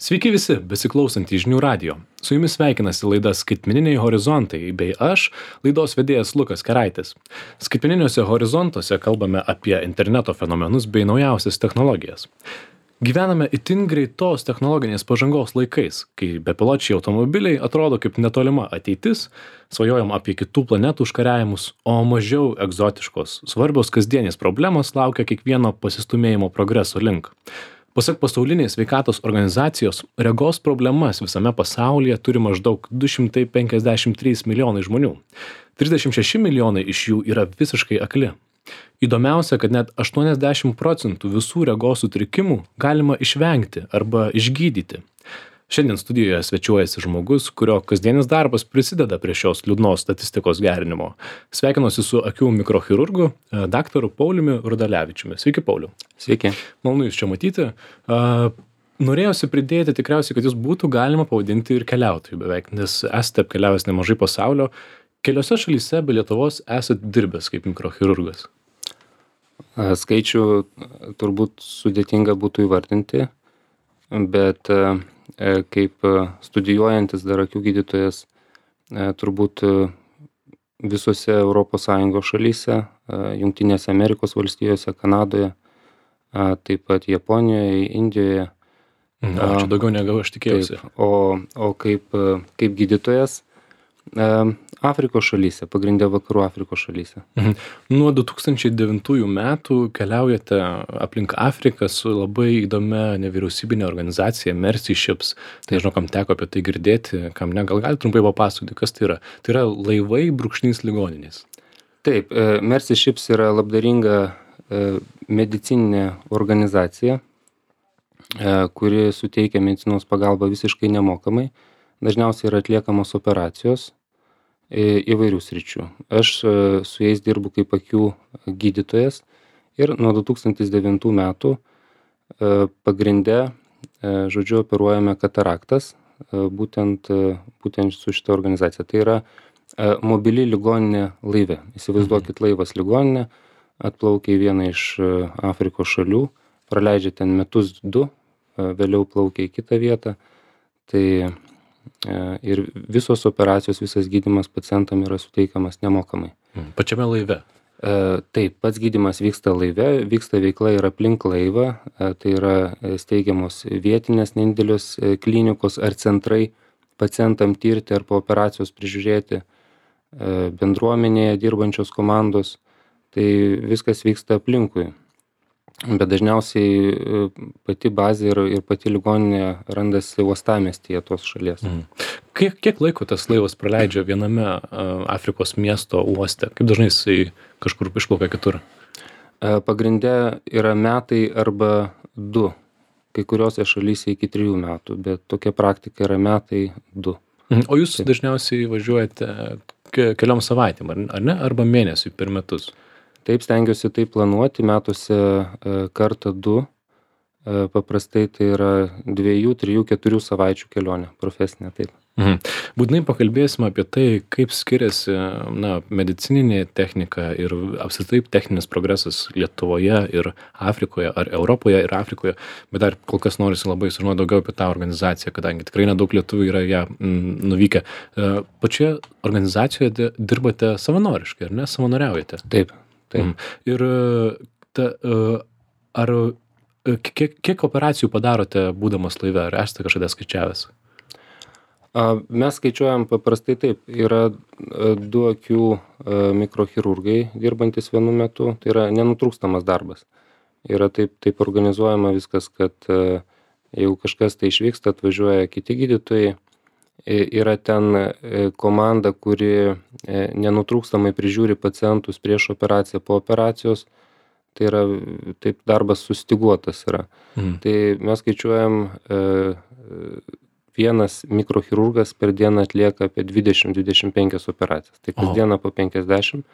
Sveiki visi, besiklausantys žinių radijo. Su jumis sveikinasi laida Skaitmeniniai horizontai bei aš, laidos vedėjas Lukas Keraitis. Skaitmeniniuose horizontuose kalbame apie interneto fenomenus bei naujausias technologijas. Gyvename itin greitos technologinės pažangos laikais, kai bepiločiai automobiliai atrodo kaip netolima ateitis, svajojam apie kitų planetų užkariavimus, o mažiau egzotiškos, svarbios kasdienės problemos laukia kiekvieno pasistumėjimo progreso link. Pasak pasaulinės sveikatos organizacijos, regos problemas visame pasaulyje turi maždaug 253 milijonai žmonių. 36 milijonai iš jų yra visiškai akli. Įdomiausia, kad net 80% visų regos sutrikimų galima išvengti arba išgydyti. Šiandien studijoje svečiuojasi žmogus, kurio kasdienis darbas prisideda prie šios liūdnos statistikos gerinimo. Sveikinuosi su akių mikrochirurgu, daktaru Pauliumi Rudalevičiumi. Sveiki, Pauliau. Sveiki. Malonu jūs čia matyti. Norėjosi pridėti tikriausiai, kad jūs būtų galima pavadinti ir keliautojų beveik, nes esate apkeliavęs nemažai pasaulio. Keliose šalyse be Lietuvos esate dirbęs kaip mikrochirurgas. Skaičių turbūt sudėtinga būtų įvardinti, bet kaip studijuojantis dar akių gydytojas turbūt visose ES šalyse, Jungtinėse Amerikos valstijose, Kanadoje, taip pat Japonijoje, Indijoje. Čia daugiau negu aš tikėjausi. Taip, o kaip gydytojas Afrikos šalyse, pagrindė vakarų Afrikos šalyse. Nuo 2009 metų keliaujate aplink Afriką su labai įdomia nevyriausybinė organizacija Mercy Ships. Tai žinau, kam teko apie tai girdėti, kam ne, gal galite trumpai papasakoti, kas tai yra. Tai yra laivai brūkšnys ligoninės. Taip, Mercy Ships yra labdaringa medicininė organizacija, kuri suteikia medicinos pagalbą visiškai nemokamai. Dažniausiai yra atliekamos operacijos įvairių sričių. Aš su jais dirbu kaip akių gydytojas ir nuo 2009 metų pagrinde, operuojame kataraktas, būtent su šita organizacija. Tai yra mobili ligoninė laive. Įsivaizduokit laivas ligoninė, atplaukia į vieną iš Afrikos šalių, praleidžia ten metus du, vėliau plaukia į kitą vietą. Tai ir visos operacijos, visas gydymas pacientam yra suteikiamas nemokamai. Pačiame laive? Taip, pats gydymas vyksta laive, vyksta veikla ir aplink laivą, tai yra steigiamos vietinės nedidelios klinikos ar centrai pacientam tirti ar po operacijos prižiūrėti, bendruomenėje dirbančios komandos, tai viskas vyksta aplinkui. Bet dažniausiai pati bazė ir pati ligoninė randasi uostamiestyje tos šalies. Kiek laiko tas laivas praleidžia viename Afrikos miesto uoste? Kaip dažnai jisai kažkur išplaukia kitur? Pagrinde yra metai arba 2. Kai kuriuose šalyse iki 3 metų, bet tokia praktika yra metai 2. O jūs dažniausiai važiuojate keliom savaitėm, ar ne? Arba mėnesiui per metus? Taip, stengiuosi tai planuoti metuose kartą 2. Paprastai tai yra 2, 3, 4 savaičių kelionė profesinė, taip. Būtinai pakalbėsime apie tai, kaip skiriasi medicininė technika ir apskritai techninis progresas Lietuvoje ir Afrikoje, ar Europoje ir Afrikoje, bet dar kol kas norisi labai sužinoti daugiau apie tą organizaciją, kadangi tikrai nedaug lietuvių yra ją nuvykę. Pačioje organizacijoje dirbate savanoriškai, ar ne? Savanoriaujate? Taip. Ir kiek operacijų padarote būdamas laive, ar esate kažkada skaičiavęs? Mes skaičiuojam paprastai taip, yra 2 akių mikrochirurgai dirbantis vienu metu, tai yra nenutrūkstamas darbas. Yra taip organizuojama viskas, kad jeigu kažkas tai išvyksta, atvažiuoja kiti gydytojai, yra ten komanda, kuri nenutrūkstamai prižiūri pacientus prieš operaciją, po operacijos, tai yra taip darbas sustyguotas yra. Tai mes skaičiuojam, vienas mikrochirurgas per dieną atlieka apie 20-25 operacijas, tai kasdieną po 50.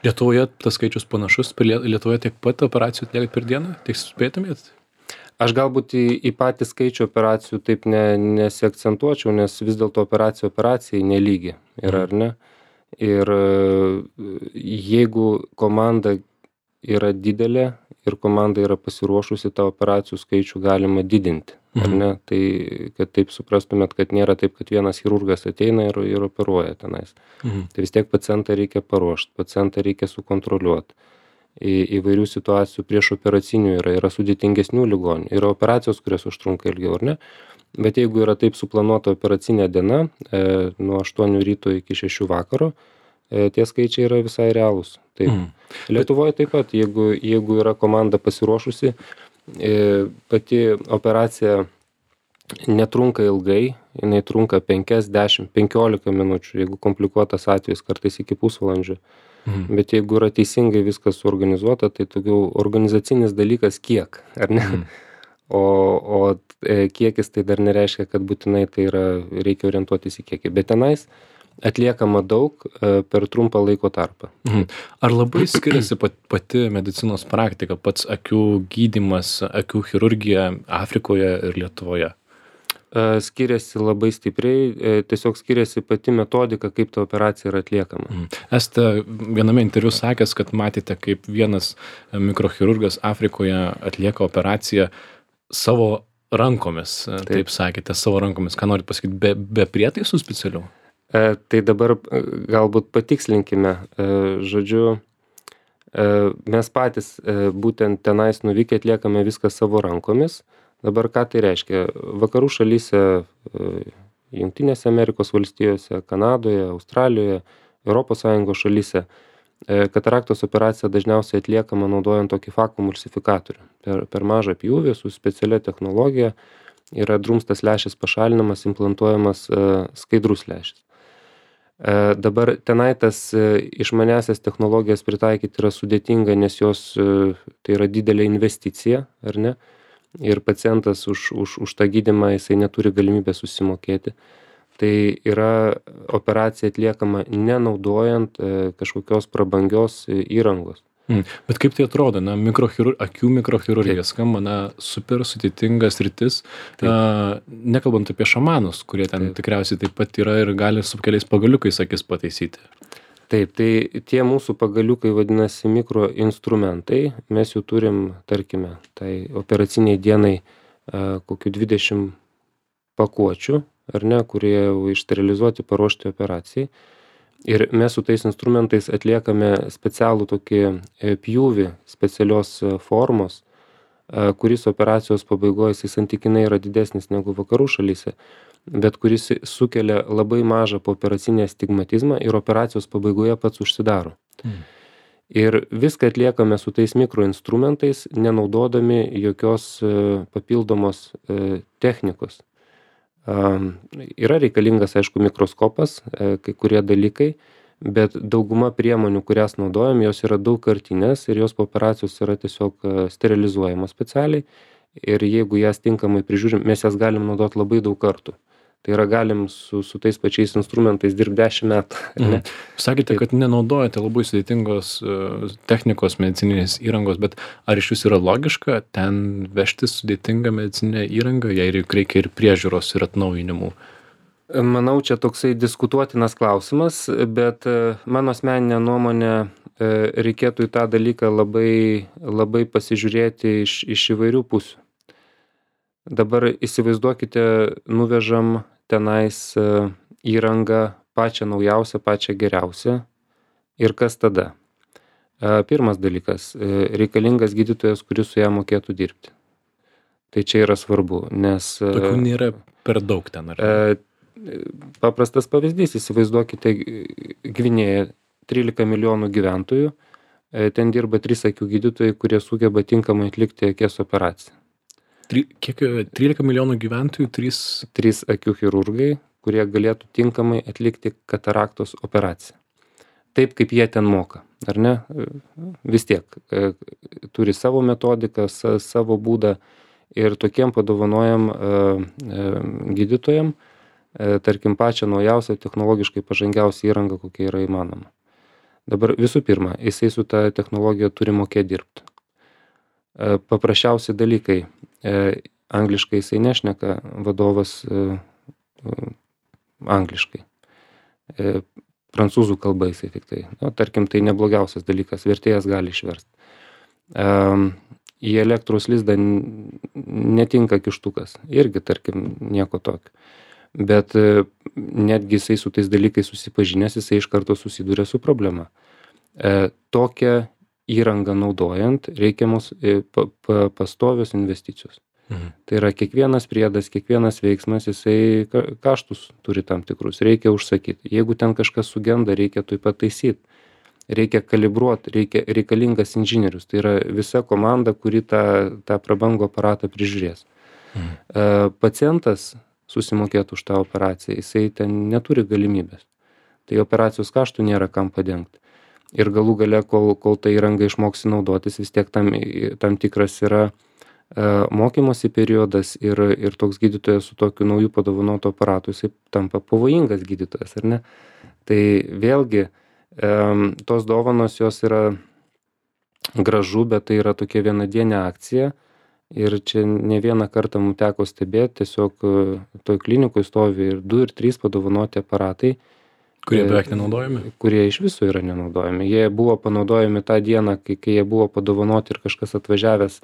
Lietuvoje tas skaičius panašus, Lietuvoje tiek pat operacijų atliekate per dieną, tiek spėtumėt? Aš galbūt į patį skaičių operacijų taip nesiakcentuočiau, nes vis dėlto operacijai nelygi yra, ar ne? Ir jeigu komanda yra didelė ir komanda yra pasiruošusi, tą operacijų skaičių galima didinti. ar ne? Tai kad taip suprastumėt, kad nėra taip, kad vienas chirurgas ateina ir operuoja tenais. Tai vis tiek pacientą reikia paruošti, pacientą reikia sukontroliuoti. Įvairių situacijų prieš operacinių yra sudėtingesnių ligonių, yra operacijos, kurios užtrunka ilgiau, ar ne? Bet jeigu yra taip suplanuota operacinė diena, nuo 8 ryto iki 6 vakaro, tie skaičiai yra visai realūs. Taip. Lietuvoje taip pat, jeigu yra komanda pasiruošusi, pati operacija netrunka ilgai, jinai trunka 5, 10, 15 minučių, jeigu komplikuotas atvejis, kartais iki pusvalandžio. Bet jeigu yra teisingai viskas suorganizuota, tai daugiau organizacinis dalykas kiek, ar ne? O kiekis tai dar nereiškia, kad būtinai tai reikia orientuotis į kiekį. Bet tenais atliekama daug per trumpą laiko tarpą. Ar labai skiriasi pati medicinos praktika, pats akių gydymas, akių chirurgija Afrikoje ir Lietuvoje? Skiriasi labai stipriai, tiesiog skiriasi pati metodika, kaip ta operacija yra atliekama. Esate viename interviu sakęs, kad matėte, kaip vienas mikrochirurgas Afrikoje atlieka operaciją savo rankomis, taip sakėte, savo rankomis. Ką norit pasakyti, be prietaisų specialių? Tai dabar galbūt patikslinkime. Žodžiu, mes patys būtent tenais nuvykę atliekame viską savo rankomis. Dabar ką tai reiškia? Vakarų šalyse, Jungtinėse Amerikos valstijose, Kanadoje, Australijoje, ES šalyse kataraktos operacija dažniausiai atliekama naudojant tokį vakuumulsifikatorių. Per mažą pjūvį su specialia technologija yra drumstas lęšis pašalinamas, implantuojamas skaidrus lęšis. Dabar tenai tas išmaniasias technologijas pritaikyti yra sudėtinga, nes jos tai yra didelė investicija, ar ne? Ir pacientas už tą gydymą jisai neturi galimybę susimokėti. Tai yra operacija atliekama nenaudojant kažkokios prabangios įrangos. Bet kaip tai atrodo, akių mikrochirurgija skamba, super sudėtinga sritis, nekalbant apie šamanus, kurie ten tikriausiai taip pat yra ir gali su keliais pagaliukais akis pataisyti. Taip, tai tie mūsų pagaliukai vadinasi mikroinstrumentai, mes jų turim, tarkime, tai operaciniai dienai kokių 20 pakuočių, ar ne, kurie jau išsterilizuoti, paruošti operacijai. Ir mes su tais instrumentais atliekame specialų tokį pjūvį specialios formos, kuris operacijos pabaigoje jisai santykinai yra didesnis negu vakarų šalyse, bet kuris sukelia labai mažą pooperacinį astigmatizmą ir operacijos pabaigoje pats užsidaro. Ir viską atliekame su tais mikroinstrumentais, nenaudodami jokios papildomos technikos. Yra reikalingas, aišku, mikroskopas, kai kurie dalykai, bet dauguma priemonių, kurias naudojam, jos yra daugkartinės ir jos po operacijos yra tiesiog sterilizuojamos specialiai. Ir jeigu jas tinkamai prižiūrim, mes jas galim naudoti labai daug kartų. Tai yra galim su tais pačiais instrumentais dirbti 10 metų. Ne? Sakėte, kad nenaudojate labai sudėtingos technikos medicininės įrangos, bet ar iš jūs yra logiška ten vežti sudėtingą medicininę įrangą, jei reikia ir priežiūros ir atnaujinimų? Manau, čia toksai diskutuotinas klausimas, bet mano asmeninė nuomonė reikėtų į tą dalyką labai pasižiūrėti iš įvairių pusių. Dabar įsivaizduokite, nuvežam tenais įrangą pačią naujausią, pačią geriausią. Ir kas tada? Pirmas dalykas, reikalingas gydytojas, kuris su ją mokėtų dirbti. Tai čia yra svarbu, nes... Tokių nėra per daug ten, ar? Paprastas pavyzdys, įsivaizduokite Gvinėją, 13 milijonų gyventojų, ten dirba 3 akių gydytojai, kurie sugeba tinkamai atlikti akies operaciją. Kiek 13 milijonų gyventojų, 3 akių chirurgai, kurie galėtų tinkamai atlikti kataraktos operaciją. Taip, kaip jie ten moka, ar ne? Vis tiek turi savo metodiką, savo būdą ir tokiem padovanojam gydytojam, tarkim, pačią naujausią, technologiškai pažangiausią įrangą, kokia yra įmanoma. Dabar visų pirma, jisai su ta technologija turi mokėti dirbti. Paprasčiausi dalykai. Angliškai jisai nešneka, vadovas angliškai. Prancūzų kalba jisai tik tai. Tarkim, tai neblogiausias dalykas, vertėjas gali išversti. į elektros lizdą netinka kištukas. Irgi, tarkim, nieko tokio. Bet netgi jisai su tais dalykais susipažinęs, jisai iš karto susiduria su problema. Tokią įrangą naudojant reikiamos pastovios investicijos. Tai yra kiekvienas priedas, kiekvienas veiksmas, jisai kaštus turi tam tikrus, reikia užsakyti. Jeigu ten kažkas sugenda, reikia tuoj pataisyti, reikia kalibruoti, reikalingas inžinierius. Tai yra visa komanda, kuri tą prabangų aparatą prižiūrės. Pacientas susimokėtų už tą operaciją, jisai ten neturi galimybės. Tai operacijos kaštų nėra kam padengti. Ir galų gale, kol ta įranga išmoksi naudotis, vis tiek tam tikras yra mokymosi periodas ir toks gydytojas su tokiu nauju padovanotu aparatu, jisai tampa pavojingas gydytojas, ar ne? Tai vėlgi, tos dovanos jos yra gražu, bet tai yra tokia vienadienė akcija ir čia ne vieną kartą mums teko stebėti, tiesiog toj klinikoj stovi ir 2 ir 3 padovanoti aparatai, Kurie beveik nenaudojami? Kurie iš viso yra nenaudojami. Jie buvo panaudojami tą dieną, kai jie buvo padovanoti ir kažkas atvažiavęs,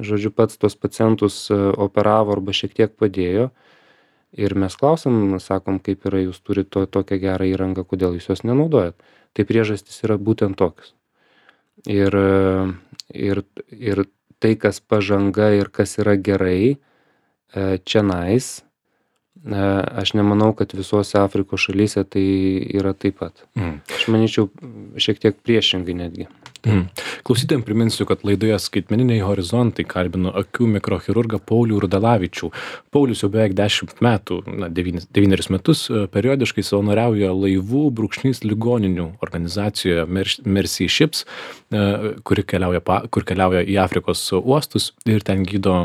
žodžiu, pats tos pacientus operavo arba šiek tiek padėjo. Ir mes klausim, sakom, kaip yra, jūs turite tokią gerą įrangą, kodėl jūs jos nenaudojat. Tai priežastys yra būtent tokios. Ir tai, kas pažanga ir kas yra gerai, čionais, aš nemanau, kad visose Afrikos šalyse tai yra taip pat. Aš manyčiau, šiek tiek priešingai netgi. Klausytojams priminsiu, kad laidoje Skaitmeniniai horizontai kalbinu akių mikrochirurgą Paulių Rudalavičių. Paulius jau beveik 10 metų, 9 metus periodiškai savanoriauja laivų ligoninių organizacijoje Mercy Ships, kur keliauja į Afrikos uostus ir ten gydo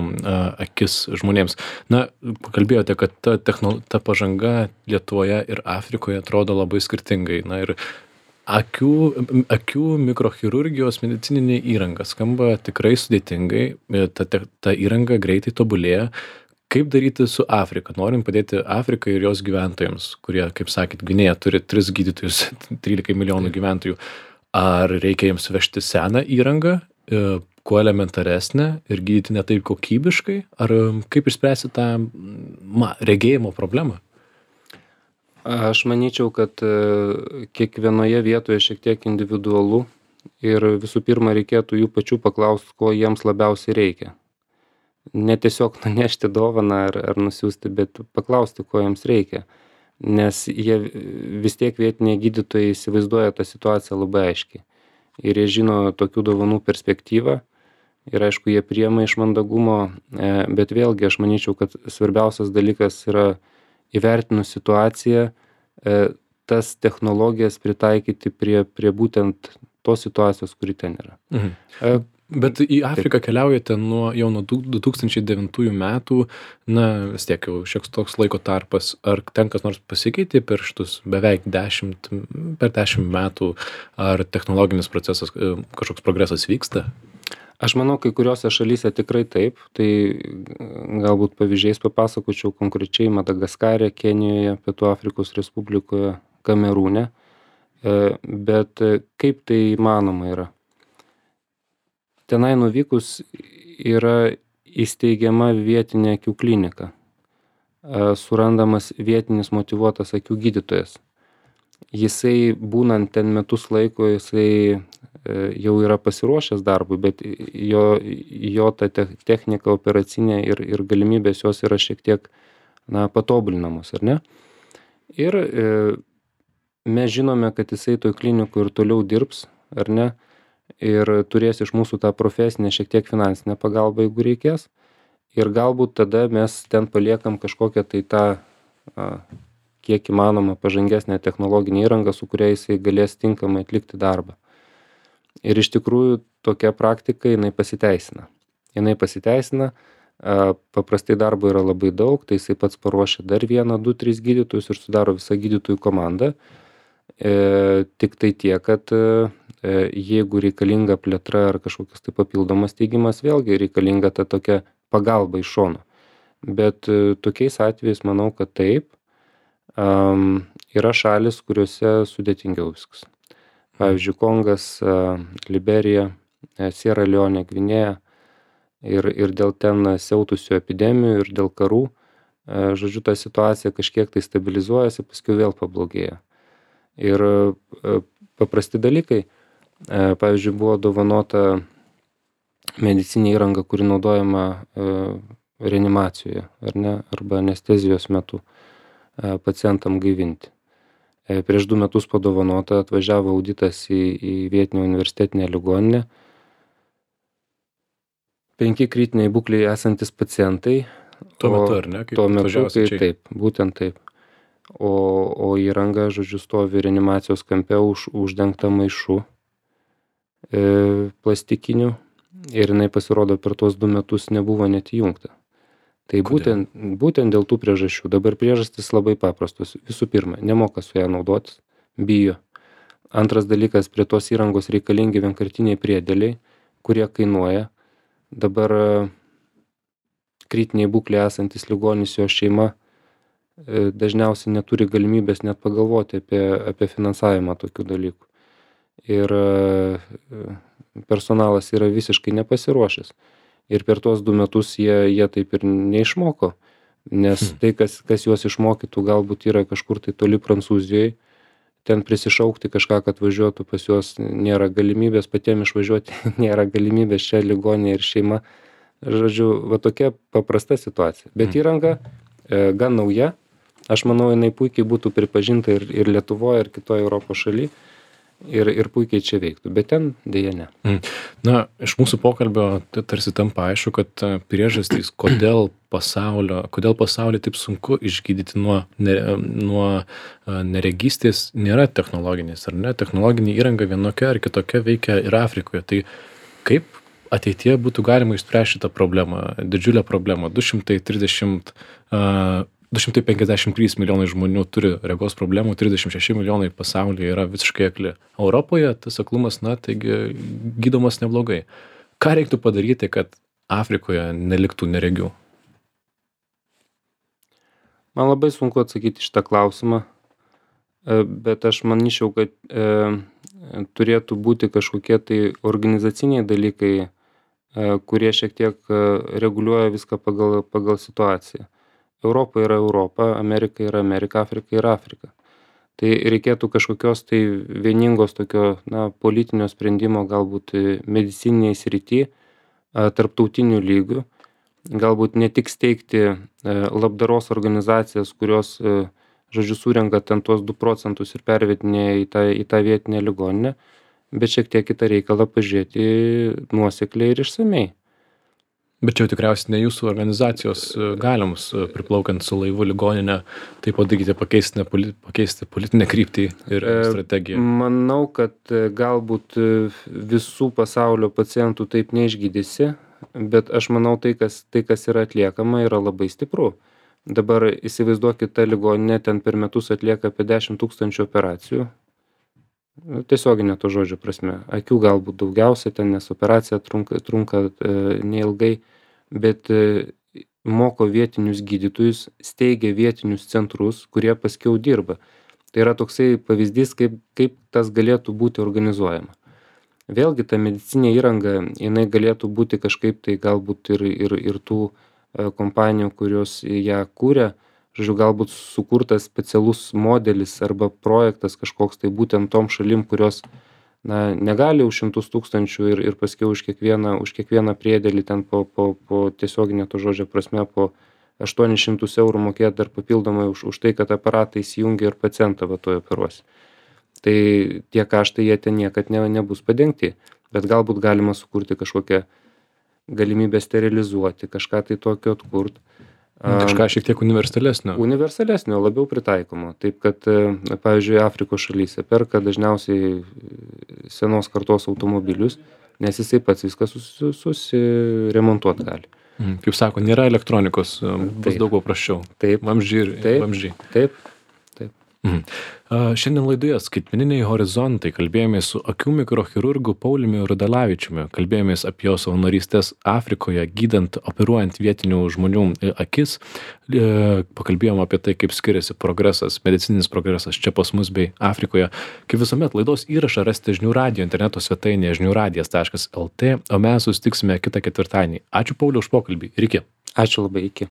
akis žmonėms. Pakalbėjote, kad ta pažanga Lietuvoje ir Afrikoje atrodo labai skirtingai. Ir akių mikrochirurgijos medicininė įranga skamba tikrai sudėtingai, ta įranga greitai tobulėja. Kaip daryti su Afrika? Norim padėti Afrikai ir jos gyventojams, kurie, kaip sakėt, Gvinėja turi 3 gydytojus, 13 milijonų gyventojų. Ar reikia jiems vežti seną įrangą, kuo elementaresnę ir gydyti ne taip kokybiškai? Ar kaip išspręsti tą regėjimo problemą? Aš manyčiau, kad kiekvienoje vietoje šiek tiek individualu ir visų pirma reikėtų jų pačių paklausti, ko jiems labiausiai reikia. Ne tiesiog nunešti dovaną ar nusiųsti, bet paklausti, ko jiems reikia. Nes jie vis tiek vietiniai gydytojai įsivaizduoja tą situaciją labai aiškiai. Ir jie žino tokių dovanų perspektyvą. Ir aišku, jie priema iš mandagumo, bet vėlgi aš manyčiau, kad svarbiausias dalykas yra įvertinus situaciją, tas technologijas pritaikyti prie būtent tos situacijos, kuri ten yra. Bet į Afriką keliaujate jau nuo 2009 metų, vis tiek jau šiek toks laiko tarpas. Ar ten kas nors pasikeitė per šitus beveik 10 metų, ar technologinis procesas, kažkoks progresas vyksta? Aš manau, kai kuriuose šalyse tikrai taip, tai galbūt pavyzdžiais papasakočiau konkrečiai Madagaskare, Kenijoje, Pietų Afrikos Respublikoje, Kamerūne, bet kaip tai įmanoma yra? Tenai nuvykus yra įsteigiama vietinė akių klinika, surandamas vietinis motyvuotas akių gydytojas. Jisai būnant ten metus laiko, jisai jau yra pasiruošęs darbui, bet jo ta technika operacinė ir galimybės jos yra šiek tiek patobulinamos, ar ne? Ir mes žinome, kad jisai toj klinikų ir toliau dirbs, ar ne? Ir turės iš mūsų tą profesinę šiek tiek finansinę pagalbą, jeigu reikės. Ir galbūt tada mes ten paliekam kažkokią tai tą kiek įmanoma pažangesnę technologinę įrangą, su kuria jisai galės tinkamai atlikti darbą. Ir iš tikrųjų tokia praktika, jinai pasiteisina. Paprastai darbo yra labai daug, tai jisai pats paruošia dar 1, 2, 3 gydytojus ir sudaro visą gydytojų komandą. Tik tai tiek, kad jeigu reikalinga plėtra ar kažkokios tai papildomas teigimas, vėlgi reikalinga ta tokia pagalba iš šono. Bet tokiais atvejais manau, kad taip, yra šalis, kuriuose sudėtingiau viskas. Pavyzdžiui, Kongas, Liberija, Sierra Leone, Gvinėja. ir dėl ten siautusių epidemijų ir dėl karų, žodžiu, ta situacija kažkiek tai stabilizuojasi, paskui vėl pablogėja. Ir paprasti dalykai, pavyzdžiui, buvo dovanota medicininė įranga, kuri naudojama reanimacijoje, ar ne, arba anestezijos metu pacientam gaivinti. Prieš 2 metus padovanota, atvažiavo auditas į vietinę universitetinę ligoninę. 5 kritiniai būklėje esantis pacientai. Tuo metu, ar ne? Tuo metu, kai taip, būtent taip. O įranga, žodžiu, stovi reanimacijos kampe uždengta maišu plastikiniu ir jinai pasirodo per tuos 2 metus nebuvo net įjungta. Tai būtent dėl tų priežasčių. Dabar priežastys labai paprastos. Visų pirma, nemoka su ją naudotis, bijo. Antras dalykas, prie tos įrangos reikalingi vienkartiniai priedėliai, kurie kainuoja. Dabar kritiniai būklė esantis ligonis, jo šeima dažniausiai neturi galimybės net pagalvoti apie finansavimą tokių dalykų. Ir personalas yra visiškai nepasiruošęs. Ir per tuos 2 metus jie taip ir neišmoko, nes tai, kas juos išmokytų, galbūt yra kažkur tai toli Prancūzijoje, ten prisišaukti kažką, kad važiuotų pas juos, nėra galimybės, patiems išvažiuoti nėra galimybės, čia ligoninė ir šeima. Žodžiu, va tokia paprasta situacija. Bet įranga gan nauja, aš manau, jinai puikiai būtų pripažinta ir Lietuvoje, ir kitoje Europos šalyje. Ir puikiai čia veiktų, bet ten dėja ne. Na, iš mūsų pokalbio tarsi tampa aišku, kad priežastys, kodėl pasaulyje taip sunku išgydyti nuo neregystės, nėra technologinės, ar ne? Technologinė įranga vienokia ar kitokia veikia ir Afrikoje. Tai kaip ateityje būtų galima išspręsti šitą problemą, didžiulę problemą? 253 milijonai žmonių turi regos problemų, 36 milijonai pasaulyje yra visiškai akli. Europoje tas aklumas, taigi gydomas neblogai. Ką reiktų padaryti, kad Afrikoje neliktų neregių? Man labai sunku atsakyti šitą klausimą, bet aš manyčiau, kad turėtų būti kažkokie tai organizaciniai dalykai, kurie šiek tiek reguliuoja viską pagal situaciją. Europa yra Europa, Amerika yra Amerika, Afrika yra Afrika. Tai reikėtų kažkokios tai vieningos tokio politinio sprendimo galbūt medicininiai srity, tarptautinių lygių. Galbūt ne tik steigti labdaros organizacijas, kurios, žodžiu, surenka ten tuos 2 procentus ir pervedinėja į tą vietinę ligoninę, bet šiek tiek kitą reikalą pažiūrėti nuosekliai ir išsamei. Bet čia tikriausiai ne jūsų organizacijos galimus priplaukiant su laivu ligoninę, tai padaryti, pakeisti politinę kryptį ir strategiją. Manau, kad galbūt visų pasaulio pacientų taip neišgydysi, bet aš manau, tai kas yra atliekama, yra labai stipru. Dabar įsivaizduokit, ta ligoninė ten per metus atlieka apie 10 000 operacijų. Tiesioginė to žodžio prasme. Akių galbūt daugiausia ten, nes operacija trunka neilgai, bet moko vietinius gydytojus, steigia vietinius centrus, kurie paskiau dirba. Tai yra toksai pavyzdys, kaip tas galėtų būti organizuojama. Vėlgi ta medicinė įranga, jinai galėtų būti kažkaip tai galbūt ir tų kompanijų, kurios ją kūrė, žodžiu, galbūt sukurtas specialus modelis arba projektas kažkoks tai būtent tom šalim, kurios negali už 100 000 ir paskiau už kiekvieną priedėlį ten po tiesioginė to žodžio prasme po 800 eurų mokėti dar papildomai už tai, kad aparatą įsijungia ir pacientą toje operuosi. Tai tie kaštai jie ten niekad nebus padengti, bet galbūt galima sukurti kažkokią galimybę sterilizuoti, kažką tai tokio atkurti. Kažką šiek tiek universalesnio. Universalesnio, labiau pritaikomo. Taip, kad, pavyzdžiui, Afrikos šalyse perka dažniausiai senos kartos automobilius, nes jisai pats viską susiremontuoti gali. Kaip sako, nėra elektronikos, bus daug paprasčiau. Taip. Vamzdžiai ir vamzdžiai. Taip. Šiandien laidoje Skaitmeniniai horizontai kalbėjomės su akių mikrochirurgu Pauliumi Rudalavičiumi. Kalbėjomės apie jo savanorystės Afrikoje, gydant, operuojant vietinių žmonių akis. Pakalbėjom apie tai, kaip skiriasi progresas, medicininis progresas čia pas mus bei Afrikoje. Kaip visuomet, laidos įrašą rasite Žinių radijo interneto svetainėje žiniųradijas.lt, o mes susitiksime kitą ketvirtadienį. Ačiū Pauliau už pokalbį ir iki. Ačiū labai, iki.